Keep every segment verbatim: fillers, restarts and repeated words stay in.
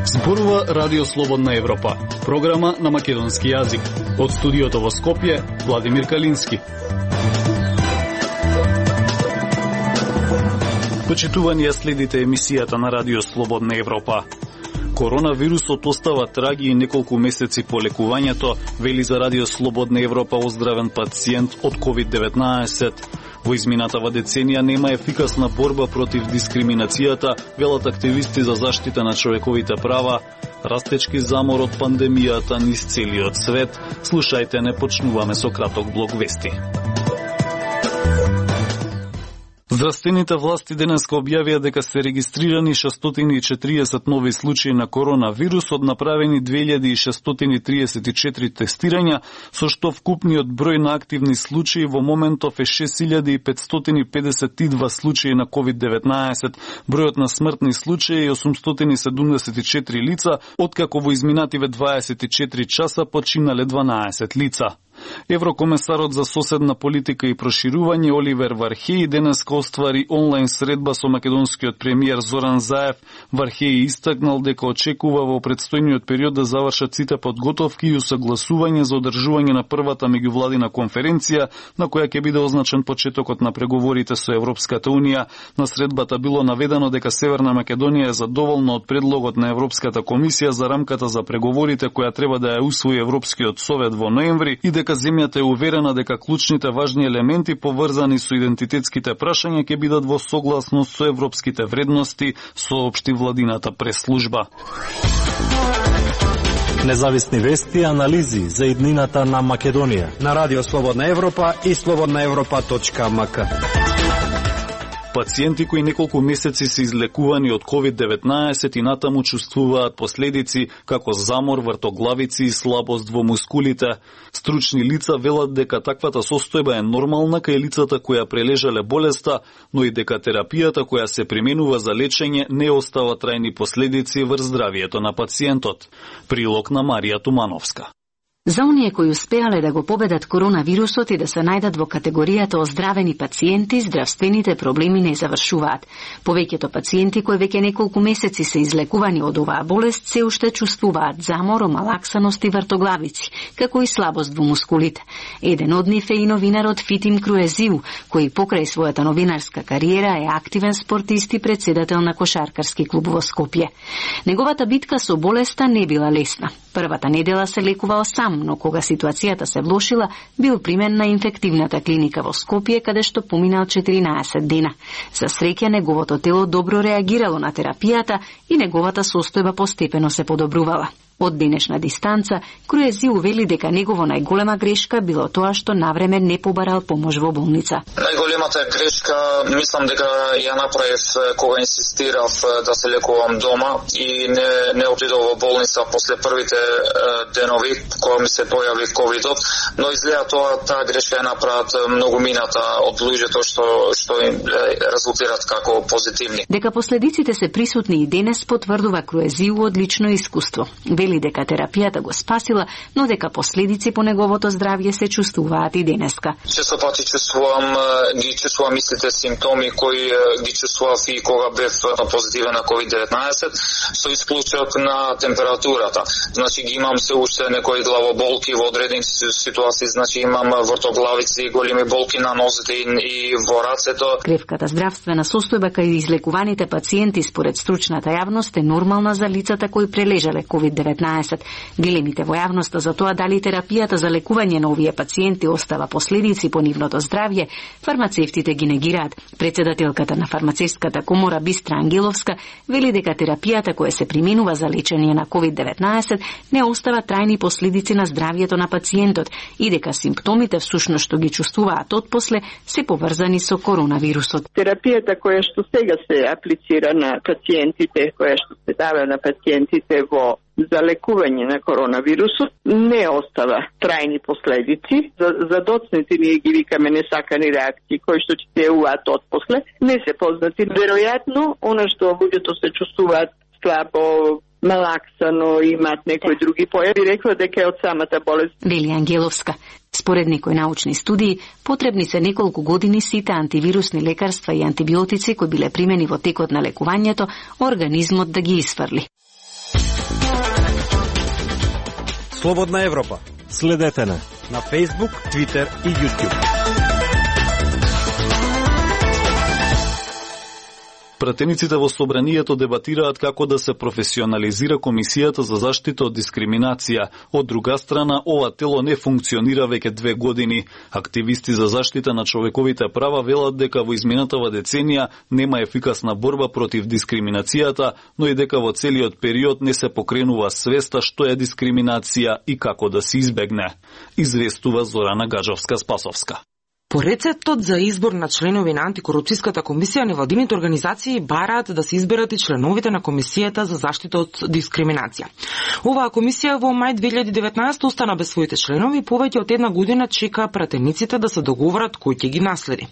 Зборува Радио Слободна Европа, програма на македонски јазик. Од студиото во Скопје, Владимир Калински. Почитувани ја следите емисијата на Радио Слободна Европа. Коронавирусот остава траги и неколку месеци по лекувањето, вели за Радио Слободна Европа оздравен пациент од ковид деветнаесет. Во изминатава деценија нема ефикасна борба против дискриминацијата, велат активисти за заштита на човековите права. Растечки замор од пандемијата низ целиот свет. Слушајте, не почнуваме со краток блок вести. Здравствените власти денеска објавија дека се регистрирани шестстотини и четириесет нови случаи на коронавирус, од направени две илјади шестстотини триесет и четири тестирања, со што вкупниот број на активни случаи во моментов е шест илјади петстотини педесет и два случаи на ковид деветнаесет. Бројот на смртни случаи е осумстотини седумдесет и четири лица, откако во изминативе дваесет и четири часа починале дванаесет лица. Еврокомесарот за соседна политика и проширување Оливер Вархеј денеска оствари онлайн средба со македонскиот премиер Зоран Заев. Вархеј истакнал дека очекува во предстојниот период да завршат сите подготовки и усагласување за одржување на првата меѓувладина конференција, на која ќе биде означен почетокот на преговорите со Европската унија. На средбата било наведено дека Северна Македонија е задоволна од предлогот на Европската комисија за рамката за преговорите која треба да ја усвои Европскиот совет во ноември и дека земјата е уверена дека клучните важни елементи поврзани со идентитетските прашања ќе бидат во согласност со европските вредности, соопшти владината пресслужба. Независни вести и анализи за иднината на Македонија на Радио Слободна Европа и слободна европа точка ем ка. Пациенти кои неколку месеци се излекувани од ковид деветнаесет и натаму чувствуваат последици како замор, вртоглавици и слабост во мускулите. Стручни лица велат дека таквата состојба е нормална кај лицата која прележале болеста, но и дека терапијата која се применува за лечење не остава трајни последици врз здравието на пациентот. Прилог на Марија Тумановска. За оние кои успеале да го победат коронавирусот и да се најдат во категоријата оздравени пациенти, здравствените проблеми не завршуваат. Повеќето пациенти кои веќе неколку месеци се излекувани од оваа болест се уште чувствуваат замор, омалаксаност и вртоглавици, како и слабост во мускулите. Еден од нив е и новинарот Фитим Круезиу, кој покрај својата новинарска кариера е активен спортист и председател на кошаркарски клуб во Скопје. Неговата битка со болеста не била лесна. Првата недела се лекувал сам, но кога ситуацијата се влошила, бил примен на инфективната клиника во Скопје, каде што поминал четиринаесет дена. За среќа, неговото тело добро реагирало на терапијата и неговата состојба постепено се подобрувала. Од денешна дистанца, Круезиу вели дека негово најголема грешка било тоа што навреме не побарал помош во болница. Најголемата грешка, мислам дека ја направив кога инсистирав да се лекувам дома и не, не отидов во болница после првите денови кога ми се појави ковидот, но изгледа тоа таа грешка ја направат многу мината од луѓето што што им резултират како позитивни. Дека последиците се присутни и денес потврдува Круезиу од лично искуство. Вели дека терапијата го спасила, но дека последици по неговото здравје се чувствуваат и денеска. Често пати чувствувам, ги чувствувам истите симптоми кои ги чувствував и кога бев позитивен на ковид деветнаесет, со исклучок на температурата. Значи ги имам се уште некои главоболки во одредени ситуации, значи имам вртоглавици, големи болки на нозите и во рацето. Кревката здравствена состојба кај излекуваните пациенти според стручната јавност е нормална за лицата кои прележале ковид деветнаесет. Дилемите во јавноста за тоа дали терапијата за лекување на овие пациенти остава последици по нивното здравје, фармацевтите ги негираат. Председателката на фармацевската комора Бистра Ангеловска вели дека терапијата која се применува за лечење на ковид деветнаесет не остава трајни последици на здравјето на пациентот и дека симптомите всушност што ги чувствуваат отпосле се поврзани со коронавирусот. Терапијата која што сега се аплицира на пациентите, која што се дава на пациентите во за лекување на коронавирусот не остава трајни последици. За, за доцните ние ги викаме несакани реакции кои што ќе се јавуваат отпосле, не се познати. Веројатно, она што луѓето се чувствуваат слабо, малаксано и имаат некои други појави, рекла дека е од самата болест. Вели Ангеловска. Според некои научни студии, потребни се неколку години сите антивирусни лекарства и антибиотици кои биле примени во текот на лекувањето, организмот да ги исфрли. Слободна Европа. Следете на на Facebook, Twitter и YouTube. Пратениците во собранието дебатираат како да се професионализира Комисијата за заштита од дискриминација. Од друга страна, ова тело не функционира веќе две години. Активисти за заштита на човековите права велат дека во изминатава деценија нема ефикасна борба против дискриминацијата, но и дека во целиот период не се покренува свеста што е дискриминација и како да се избегне. Известува Зорана Гаджовска-Спасовска. По рецептот за избор на членови на антикорупцијската комисија, невладините организации бараат да се изберат и членовите на Комисијата за заштита од дискриминација. Оваа комисија во мај две илјади и деветнаесета остана без своите членови и повеќе од една година чека пратениците да се договорат кој ќе ги наследи.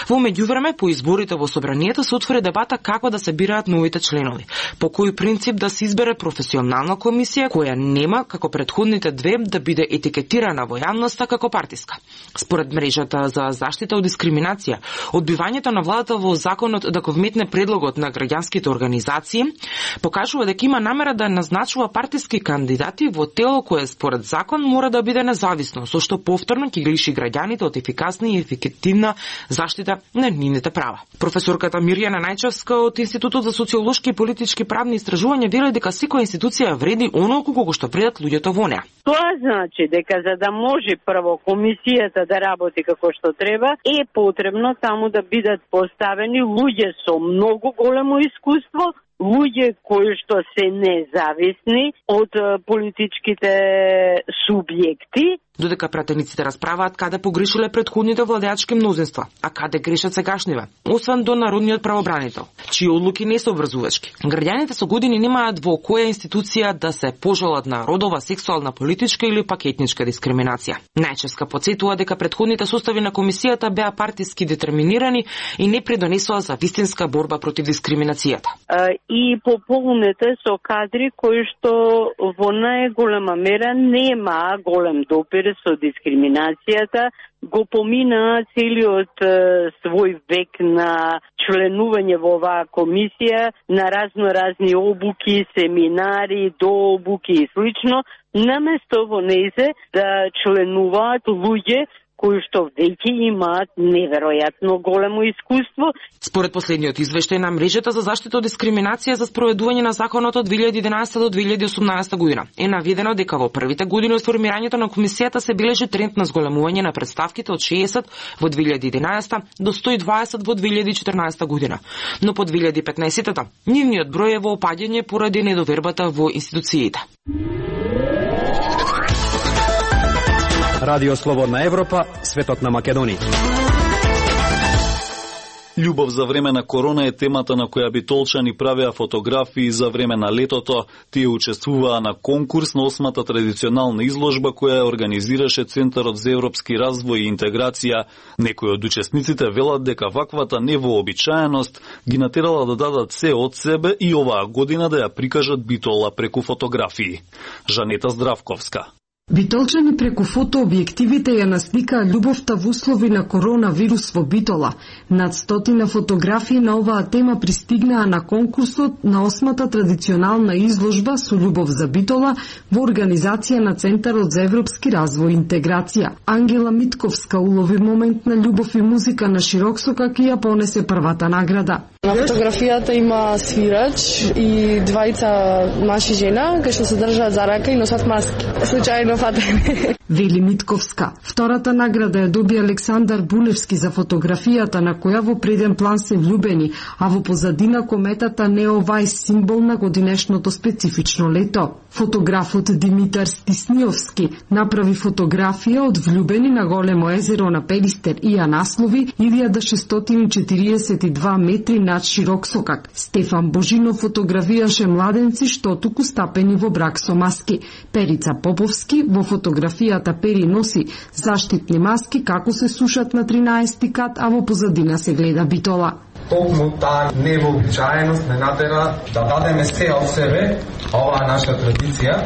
Во меѓувреме, по изборите во собранието се отвори дебата како да се бираат новите членови. По кој принцип да се избере професионална комисија која нема, како претходните две, да биде етикетирана во јавноста како партиска. Според мрежата за заштита од дискриминација, одбивањето на владата во законот да го вметне предлогот на граѓанските организации покажува дека има намера да назначува партиски кандидати во тело кое според закон мора да биде независно, со што повторно ќе ги лиши граѓаните од ефикасна и ефективна заштита на нивните права. Професорката Мирјана Најчевска од Институтот за социолошки и политички правни истражувања вели дека секоја институција вреди онолку колку што предат луѓето во неа. Тоа значи дека за да може прво комисијата да работи како што треба, е потребно таму да бидат поставени луѓе со многу големо искуство, луѓе кои што се независни од политичките субјекти. Додека пратениците расправаат каде погрешиле претходните владеачки мнозинства, а каде грешат сегашниве, освен до народниот правобранител, чии одлуки не се обврзувачки. Граѓаните со години немаат во која институција да се пожалат на родова, сексуална, политичка или пак етничка дискриминација. Најческа подсетува дека претходните состави на комисијата беа партиски детерминирани и не придонесоа за вистинска борба против дискриминацијата. И пополнете со кадри кои што во најголема мера нема голем допир со дискриминацијата, го помина целиот е, свој век на членување во оваа комисија, на разно разни обуки, семинари, дообуки и слично, наместо во нејзе да членуваат луѓе кои што веќе имаат неверојатно големо искуство. Според последниот извештај на мрежата за заштита од дискриминација за спроведување на законот од две илјади и единаесета до две илјади и осумнаесета година, е наведено дека во првите години од формирањето на комисијата се бележи тренд на зголемување на представките од шеесет во две илјади и единаесета до сто и дваесет во две илјади и четрнаесета година. Но по две илјади и петнаесета нивниот број е во опаѓање поради недовербата во институциите. Радио Слободна Европа, светот на Македонија. Љубов за време на корона е темата на која битолчани правеа фотографии за време на летото. Тие учествуваа на конкурс на осмата традиционална изложба која организираше Центарот за европски развој и интеграција. Некои од учесниците велат дека ваквата невообичаеност ги натерала да дадат се од себе и оваа година да ја прикажат битола преку фотографии. Жанета Здравковска. Битолчани преку фотообјективите ја насликаа љубовта во услови на коронавирус во Битола. Над стотина фотографии на оваа тема пристигнаа на конкурсот на осмата традиционална изложба со љубов за Битола во организација на Центарот за европски развој и интеграција. Ангела Митковска улови момент на љубов и музика на широксокак и ја понесе првата награда. На фотографијата има свирач и двајца маж и жена кои што се држат за рака и носат маски. Случајно фатени. Вели Митковска. Втората награда ја доби Александар Булевски за фотографијата на која во преден план се влюбени, а во позадина кометата Неовај, символ на годинешното специфично лето. Фотографот Димитар Стисниовски направи фотографија од влюбени на големо езеро на Пелистер и ја наслови илјада шестстотини четириесет и два метри над широксокак. Стефан Божинов фотографираше младенци што туку стапени во брак со маски. Перица Поповски во фотографијата Пери носи заштитни маски како се сушат на тринаесети кат, а во позадина се гледа Битола. токму таа невообичаеност не натера да дадеме се од себе, оваа наша традиција,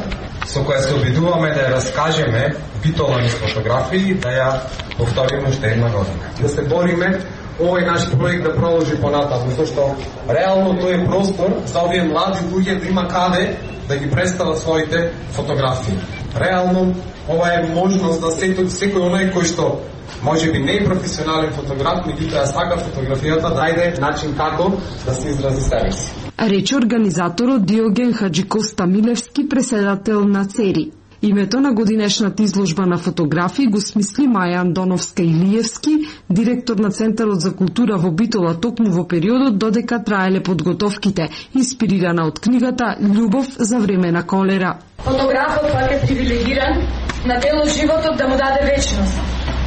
со која се обидуваме да ја раскажеме битола низ фотографии, да ја повториме уште една година. Да се бориме овој наш проект да продолжи понатаму, зашто реално тој е простор за овие млади луѓе да има каде да ги представат своите фотографии. Реално ова е можност да секој, секој оној кој што може би не е професионален фотограф, меѓутоа сака фотографијата да најде начин како да се изрази себе си. Рече организаторот Диоген Хаджикоста Милевски, преседател на ЦЕРИ. Името на годинешната изложба на фотографии го смисли Маја Андоновска Илиевски, директор на Центарот за култура во Битола, токму во периодот додека траеле подготовките, инспирирана од книгата Љубов за време на колера. Фотографот пак е привилегиран на дел од животот да му даде вечност,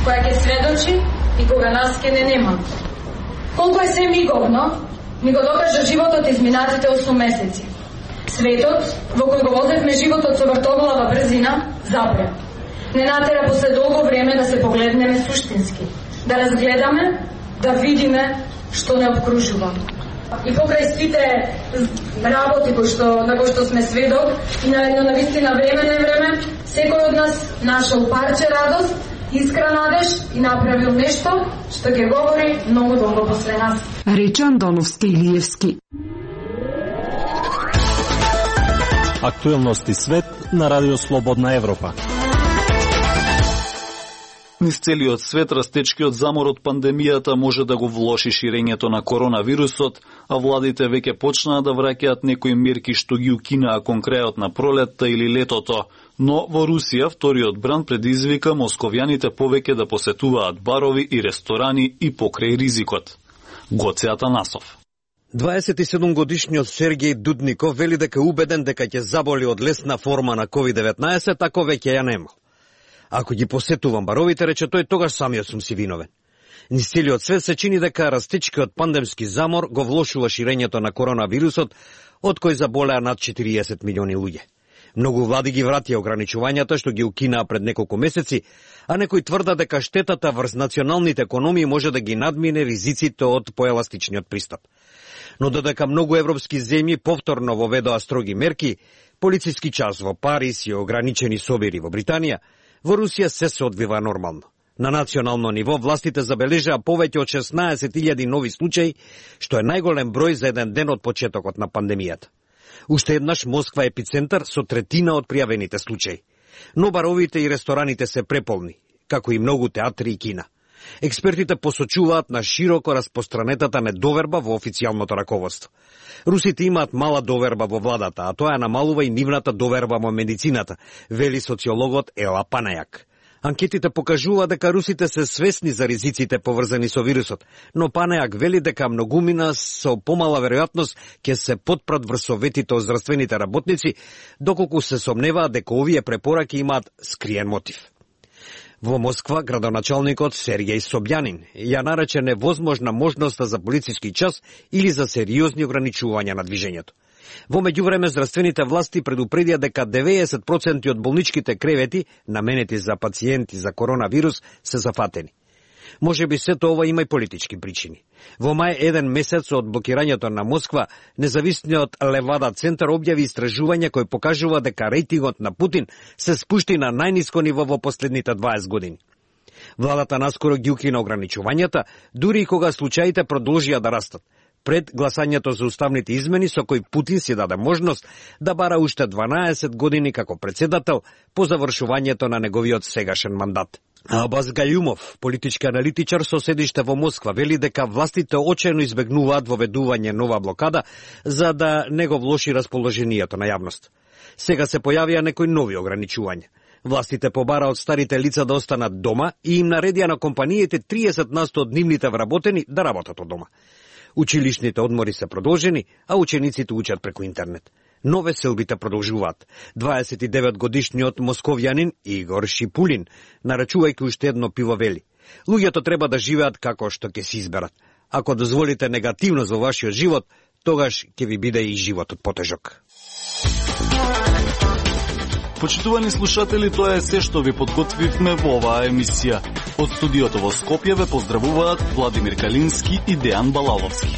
која ќе сведочи и кога нас ке не нема. Колку е се миговно, ми го докажа животот изминатите осум месеци. Светот, во кој го возевме животот со вртоглава брзина, запре. Не натера после долго време да се погледнеме суштински, да разгледаме, да видиме што не обкружува. И покрај сите работи кои што, на кои што сме сведок, и на едно навистина време не време, секој од нас нашол парче радост, искра надеж и направил нешто што ќе говори многу долго после нас. Рече Андоновска Илиевски. Актуелности свет на Радио Слободна Европа. Низ целиот свет растечкиот замор од пандемијата може да го влоши ширењето на коронавирусот, а владите веќе почнаа да враќаат некои мерки што ги укинаа кон крајот на пролетта или летото. Но во Русија вториот бран предизвика московјаните повеќе да посетуваат барови и ресторани и покрај ризикот. Гоце Атанасов. дваесет и седум годишниот Сергеј Дудников вели дека е убеден дека ќе заболи од лесна форма на ковид деветнаесет, ако веќе ја нема. Ако ги посетувам баровите, рече тој, тогаш самиот сум си виновен. Низ целиот свет се чини дека растечкиот пандемски замор го влошува ширењето на коронавирусот, од кој заболеа над четириесет милиони луѓе. Многу влади ги вратија ограничувањата што ги укинаа пред неколку месеци, а некои тврда дека штетата врз националните економии може да ги надмине ризиците од поеластичниот пристап. Но додека многу европски земји повторно воведоа строги мерки, полициски час во Париз и ограничени собери во Британија, во Русија се се одвива нормално. На национално ниво властите забележаа повеќе од шеснаесет илјади нови случаи, што е најголем број за еден ден од почетокот на пандемијата. Уште еднаш Москва е епицентар со третина од пријавените случаи. Но баровите и рестораните се преполни, како и многу театри и кина. Експертите посочуваат на широко распространетата недоверба во официјалното раководство. Русите имаат мала доверба во владата, а тоа намалува и нивната доверба во медицината, вели социологот Ела Панајак. Анкетите покажува дека русите се свесни за ризиците поврзани со вирусот, но Панајак вели дека многумина со помала веројатност ќе се потпрат врз советите од здравствените работници, доколку се сомневаат дека овие препораки имаат скриен мотив. Во Москва, градоначалникот Сергеј Собјанин ја нарече невозможна можноста за полициски час или за сериозни ограничувања на движењето. Во меѓувреме, здравствените власти предупредија дека деветдесет проценти од болничките кревети, наменети за пациенти за коронавирус, се зафатени. Може би сето ова има и политички причини. Во мај, еден месец од блокирањето на Москва, независниот Левада центар објави истражување кој покажува дека рейтингот на Путин се спушти на најниско ниво во последните дваесет години. Владата наскоро ги укина ограничувањата, дури и кога случаите продолжија да растат, пред гласањето за уставните измени со кој Путин си даде можност да бара уште дванаесет години како председател по завршувањето на неговиот сегашен мандат. Абаз Гајумов, политички аналитичар со седиште во Москва, вели дека властите очено избегнуваат воведување нова блокада за да не го влоши расположението на јавност. Сега се појавија некои нови ограничувања. Властите побара од старите лица да останат дома и им наредија на компаниите триесет на сто од нивните вработени да работат од дома. Училишните одмори се продолжени, а учениците учат преку интернет. Но веселбите продолжуваат. дваесет и девет годишниот московјанин Игор Шипулин, нарачувајќи уште едно пиво, вели: луѓето треба да живеат како што ќе се изберат. Ако дозволите негативност во вашиот живот, тогаш ќе ви биде и животот потежок. Почитувани слушатели, тоа е се што ви подготвивме во оваа емисија. Од студиото во Скопје ве поздравуваат Владимир Калински и Дејан Балаловски.